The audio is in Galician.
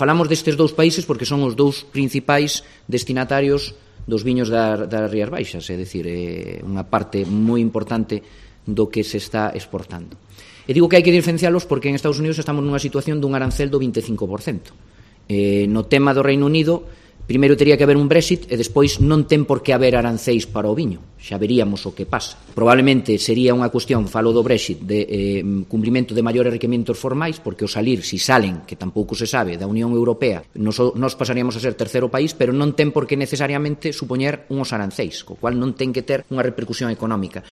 Falamos destes dous países porque son os dous principais destinatarios dos viños das Rías Baixas, é dicir, é unha parte moi importante do que se está exportando. E digo que hai que diferencialos porque en Estados Unidos estamos nunha situación dun arancel do 25%. No tema do Reino Unido, primeiro tería que haber un Brexit e despois non ten por que haber aranceis para o viño. Xa veríamos o que pasa. Probablemente sería unha cuestión, falo do Brexit, de cumprimento de maiores requerimentos formais, porque o salir, si salen, que tampouco se sabe, da Unión Europea, nos pasaríamos a ser terceiro país, pero non ten por que necesariamente supoñer unhos aranceis, co cual non ten que ter unha repercusión económica.